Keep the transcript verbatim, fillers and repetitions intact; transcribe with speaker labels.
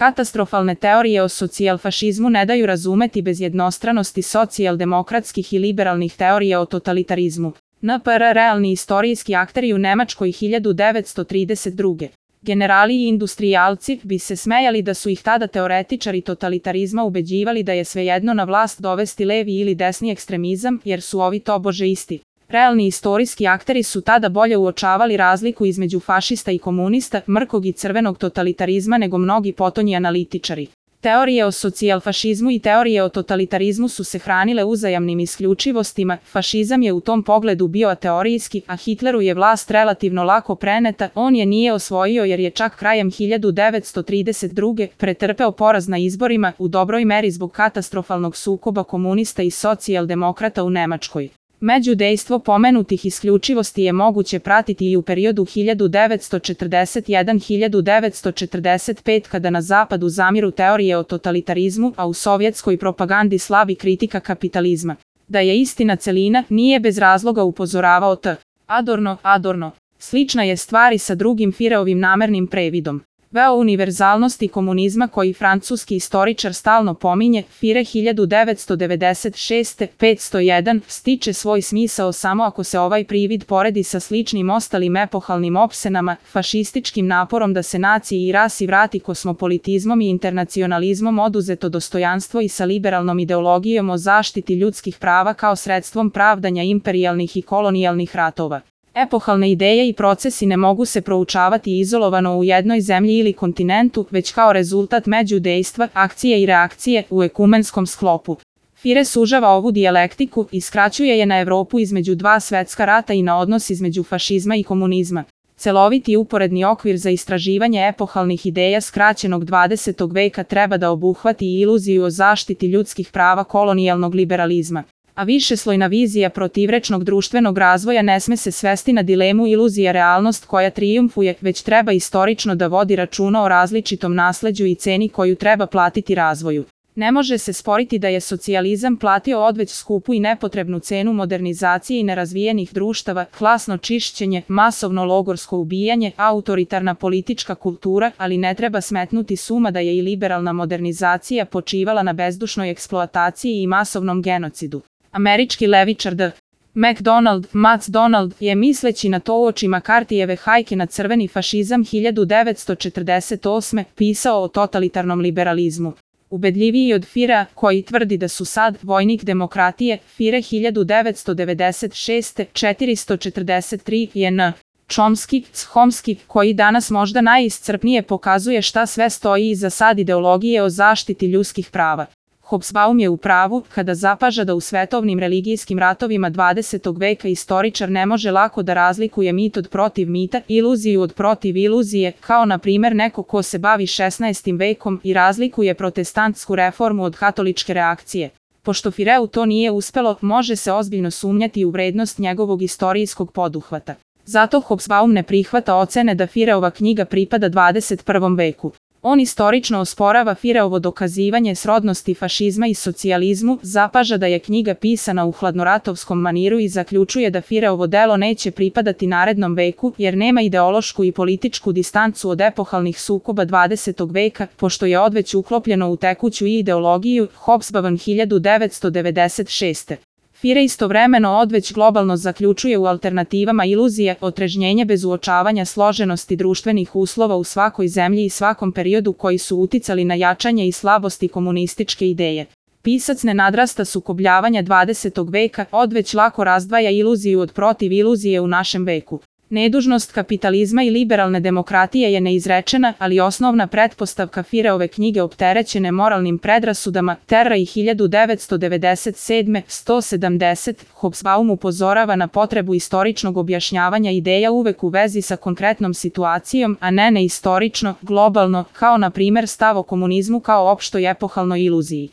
Speaker 1: Katastrofalne teorije o socijalfašizmu ne daju razumeti bez jednostranosti socijaldemokratskih i liberalnih teorija o totalitarizmu. N P R realni istorijski akteri u Nemačkoj hiljadu devetsto trideset druge. Generali i industrijalci bi se smejali da su ih tada teoretičari totalitarizma ubeđivali da je svejedno na vlast dovesti levi ili desni ekstremizam, jer su ovi tobože isti. Realni istorijski akteri su tada bolje uočavali razliku između fašista i komunista, mrkog i crvenog totalitarizma nego mnogi potonji analitičari. Teorije o socijalfašizmu i teorije o totalitarizmu su se hranile uzajamnim isključivostima, fašizam je u tom pogledu bio ateorijski, a Hitleru je vlast relativno lako preneta, on je nije osvojio jer je čak krajem hiljadu devetsto trideset druge. pretrpeo poraz na izborima, u dobroj meri zbog katastrofalnog sukoba komunista i socijaldemokrata u Nemačkoj. Međudejstvo pomenutih isključivosti je moguće pratiti i u periodu hiljadu devetsto četrdeset jedan do hiljadu devetsto četrdeset pet kada na zapadu zamiru teorije o totalitarizmu, a u sovjetskoj propagandi slavi kritika kapitalizma. Da je istina celina, nije bez razloga upozoravao T. Adorno, Adorno. Slična je stvar i sa drugim Fireovim namernim previdom. Veo univerzalnosti komunizma koji francuski istoričar stalno pominje, Fire hiljadu devetsto devedeset šeste petsto jedan stiče svoj smisao samo ako se ovaj privid poredi sa sličnim ostalim epohalnim opsenama, fašističkim naporom da se naciji i rasi vrati kosmopolitizmom i internacionalizmom oduzeto dostojanstvo i sa liberalnom ideologijom o zaštiti ljudskih prava kao sredstvom pravdanja imperijalnih i kolonijalnih ratova. Epohalne ideje i procesi ne mogu se proučavati izolovano u jednoj zemlji ili kontinentu, već kao rezultat međudejstva, akcije i reakcije u ekumenskom sklopu. Fire sužava ovu dijalektiku i skraćuje je na Evropu između dva svetska rata i na odnos između fašizma i komunizma. Celoviti uporedni okvir za istraživanje epohalnih ideja skraćenog dvadesetog veka treba da obuhvati i iluziju o zaštiti ljudskih prava kolonijalnog liberalizma. A višeslojna vizija protivrečnog društvenog razvoja ne sme se svesti na dilemu iluzija realnost koja trijumfuje, već treba istorično da vodi računa o različitom nasleđu i ceni koju treba platiti razvoju. Ne može se sporiti da je socijalizam platio odveć skupu i nepotrebnu cenu modernizacije i nerazvijenih društava, klasno čišćenje, masovno logorsko ubijanje, autoritarna politička kultura, ali ne treba smetnuti s uma da je i liberalna modernizacija počivala na bezdušnoj eksploataciji i masovnom genocidu. Američki levičar D. McDonald, Macdonald, je misleći na to uoči Makartijeve hajke na crveni fašizam hiljadu devetsto četrdeset osme pisao o totalitarnom liberalizmu. Ubedljiviji od Firea, koji tvrdi da su sad vojnik demokratije, Fire hiljadu devetsto devedeset šeste četiristo četrdeset tri je N. Chomsky, Chomsky, koji danas možda najiscrpnije pokazuje šta sve stoji iza sad ideologije o zaštiti ljudskih prava. Hobsbawm je u pravu kada zapaža da u svetovnim religijskim ratovima dvadesetog veka istoričar ne može lako da razlikuje mit od protiv mita, iluziju od protiv iluzije, kao na primer neko ko se bavi šesnaestim vekom i razlikuje protestantsku reformu od katoličke reakcije. Pošto Fireu to nije uspelo, može se ozbiljno sumnjati u vrednost njegovog istorijskog poduhvata. Zato Hobsbawm ne prihvata ocene da Fireova knjiga pripada dvadeset prvom veku. On istorično osporava Fireovo dokazivanje srodnosti fašizma i socijalizmu, zapaža da je knjiga pisana u hladnoratovskom maniru i zaključuje da Fireovo delo neće pripadati narednom veku, jer nema ideološku i političku distancu od epohalnih sukoba dvadesetog veka, pošto je odveć uklopljeno u tekuću ideologiju. Hobsbawm hiljadu devetsto devedeset šeste. Fire istovremeno odveć globalno zaključuje u alternativama iluzije, otrežnjenje bez uočavanja složenosti društvenih uslova u svakoj zemlji i svakom periodu koji su uticali na jačanje i slabosti komunističke ideje. Pisac ne nadrasta sukobljavanja dvadesetog veka, odveć lako razdvaja iluziju od protiv iluzije u našem veku. Nedužnost kapitalizma i liberalne demokratije je neizrečena, ali osnovna pretpostavka Fireove knjige opterećene moralnim predrasudama, Terra i hiljadu devetsto devedeset sedme sto sedamdeset. Hobsbawm upozorava na potrebu istoričnog objašnjavanja ideja uvek u vezi sa konkretnom situacijom, a ne neistorično, globalno, kao na primer stav o komunizmu kao opštoj epohalnoj iluziji.